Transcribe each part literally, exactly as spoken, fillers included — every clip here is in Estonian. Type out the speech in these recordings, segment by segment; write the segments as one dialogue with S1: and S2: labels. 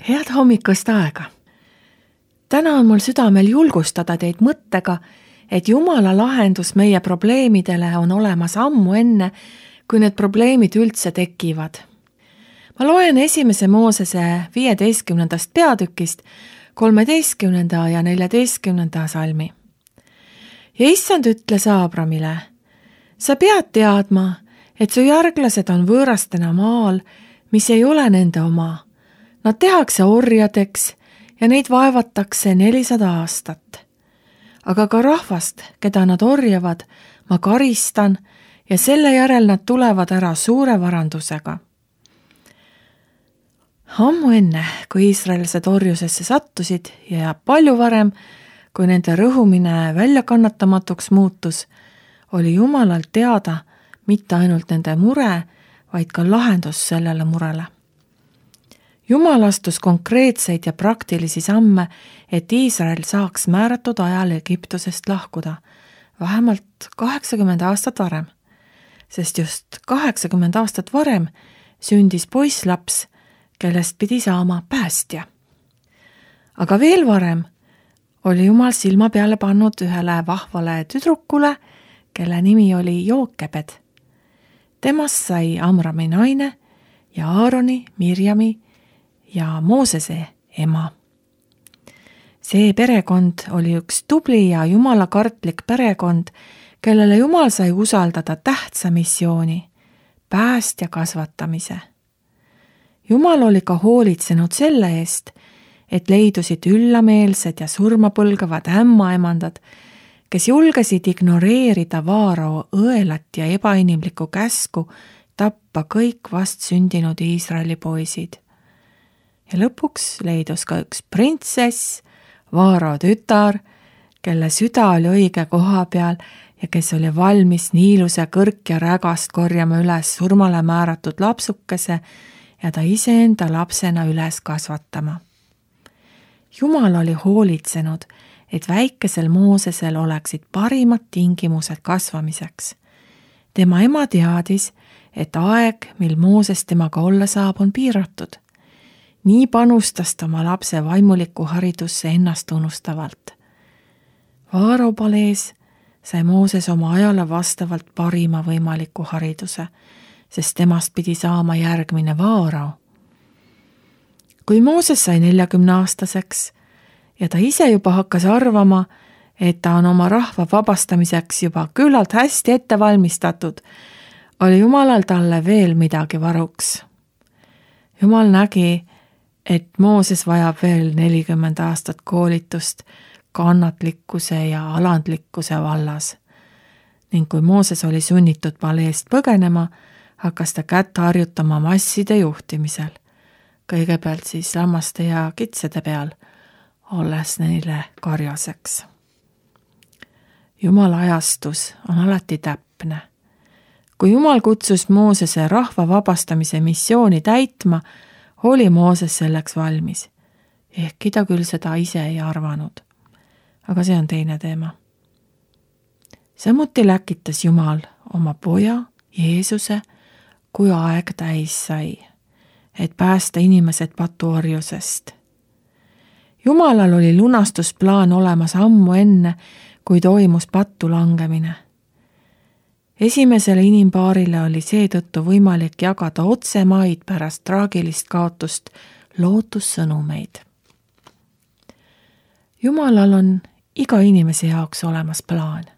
S1: Head hommikust aega! Täna on mul südamel julgustada teid mõttega, et Jumala lahendus meie probleemidele on olemas ammu enne, kui need probleemid üldse tekivad. Ma loen esimese Moosese viieteistkümnendast peatükist kolmeteistkümnenda ja neljateistkümnenda salmi. Ja issand ütles Aabramile, sa pead teadma, et su järglased on võõrastena maal, mis ei ole nende oma. Nad tehakse orjadeks ja neid vaevatakse nelisada aastat. Aga ka rahvast, keda nad orjavad, ma karistan ja selle järel nad tulevad ära suure varandusega. Ammu enne, kui iisraelised orjusesse sattusid ja palju varem, kui nende rõhumine väljakannatamatuks muutus, oli Jumalalt teada mitte ainult nende mure, vaid ka lahendus sellele murele. Jumal astus konkreetseid ja praktilisi samme, et Iisrael saaks määratud ajal Egiptusest lahkuda, vähemalt kaheksakümmend aastat varem, sest just kaheksakümmend aastat varem sündis poisslaps, kellest pidi saama päästja. Aga veel varem oli Jumal silma peale pannud ühele vahvale tüdrukule, kelle nimi oli Jookebed. Temast sai Amrami naine ja Aaroni, Mirjami ja Moosese ema. See perekond oli üks tubli ja jumalakartlik perekond, kellele Jumal sai usaldada tähtsa missiooni, päästja kasvatamise. Jumal oli ka hoolitsenud selle eest, et leidusid üllameelsed ja surmapõlgavad ämmaemandad, kes julgesid ignoreerida Vaarao õelat ja ebainimlikku käsku tappa kõik vast sündinud Iisraeli poisid. Ja lõpuks leidus ka üks printsess, Vaarao tütar, kelle süda oli õige koha peal ja kes oli valmis niiluse kõrk ja rägast korjama üles surmale määratud lapsukese ja ta iseenda lapsena üles kasvatama. Jumal oli hoolitsenud, et väikesel Moosesel oleksid parimad tingimused kasvamiseks. Tema ema teadis, et aeg, mil Mooses temaga olla saab, on piiratud. Nii panustas ta oma lapse vaimuliku haridusse ennast unustavalt. Vaarao palees sai Mooses oma ajale vastavalt parima võimaliku hariduse, sest temast pidi saama järgmine Vaarao. Kui Mooses sai neljakümne aastaseks ja ta ise juba hakkas arvama, et ta on oma rahva vabastamiseks juba küllalt hästi ette valmistatud, oli Jumalal talle veel midagi varuks. Jumal nägi, et Mooses vajab veel nelikümmend aastat koolitust kannatlikkuse ja alandlikkuse vallas. Ning kui Mooses oli sunnitud paleest põgenema, hakkas ta kätt harjutama masside juhtimisel. Kõigepealt siis lammaste ja kitsede peal, olles neile karjaseks. Jumala ajastus on alati täpne. Kui Jumal kutsus Moosese rahva vabastamise missiooni täitma, oli Mooses selleks valmis. Ehkki ta küll seda ise ei arvanud. Aga see on teine teema. Samuti läkitas Jumal oma poja, Jeesuse, kui aeg täis sai, et päästa inimesed patuorjusest. Jumalal oli lunastusplaan olemas ammu enne, kui toimus pattu langemine. Esimesele inimpaarile oli seetõttu võimalik jagada otsemaid pärast traagilist kaotust lootussõnumeid. Jumalal on iga inimese jaoks olemas plaan.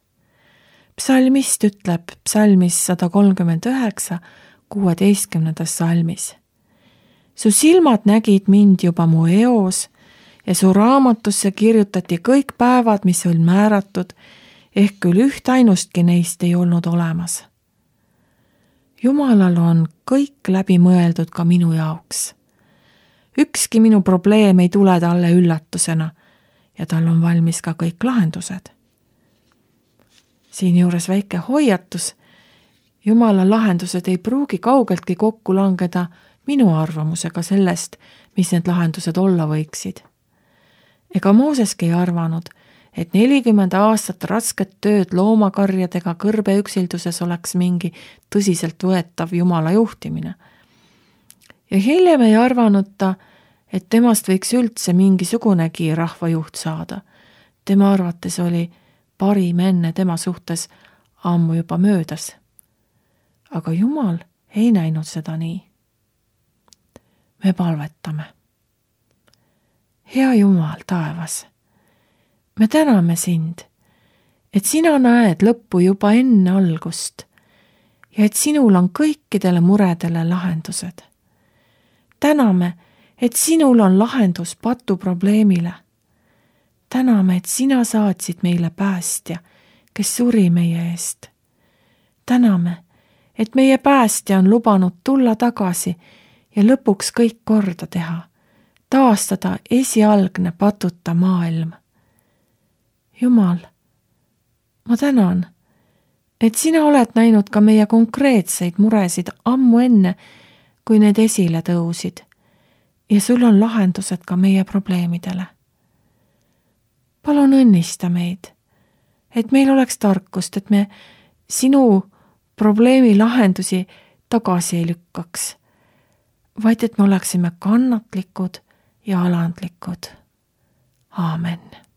S1: Psalmist ütleb psalmis sada kolmkümmend üheksa, kuueteistkümnendas salmis. Su silmad nägid mind juba mu eos ja su raamatusse kirjutati kõik päevad, mis on määratud, ehk küll üht ainustki neist ei olnud olemas. Jumalal on kõik läbi mõeldud ka minu jaoks. Ükski minu probleem ei tule talle üllatusena ja tal on valmis ka kõik lahendused. Siin juures väike hoiatus, Jumala lahendused ei pruugi kaugeltki kokku langeda minu arvamusega sellest, mis need lahendused olla võiksid. Ega Mooseski ei arvanud, et nelikümmend aastat rasket tööd loomakarjadega kõrbeüksilduses oleks mingi tõsiselt võetav Jumala juhtimine. Ja hiljem ei arvanud ta, et temast võiks üldse mingisugunegi rahvajuht saada. Tema arvates oli parim enne tema suhtes ammu juba möödas. Aga Jumal ei näinud seda nii. Me palvetame. Hea Jumal taevas, me täname sind, et sina näed lõppu juba enne algust ja et sinul on kõikidele muredele lahendused. Täname, et sinul on lahendus patu probleemile. Täname, et sina saatsid meile päästja, kes suri meie eest. Täname, et meie päästja on lubanud tulla tagasi ja lõpuks kõik korda teha, taastada esialgne patuta maailm. Jumal, ma tänan, et sina oled näinud ka meie konkreetseid muresid ammu enne, kui need esile tõusid ja sul on lahendused ka meie probleemidele. Palun õnnista meid, et meil oleks tarkust, et me sinu probleemi lahendusi tagasi ei lükkaks, vaid et me oleksime kannatlikud ja alandlikud. Aamen.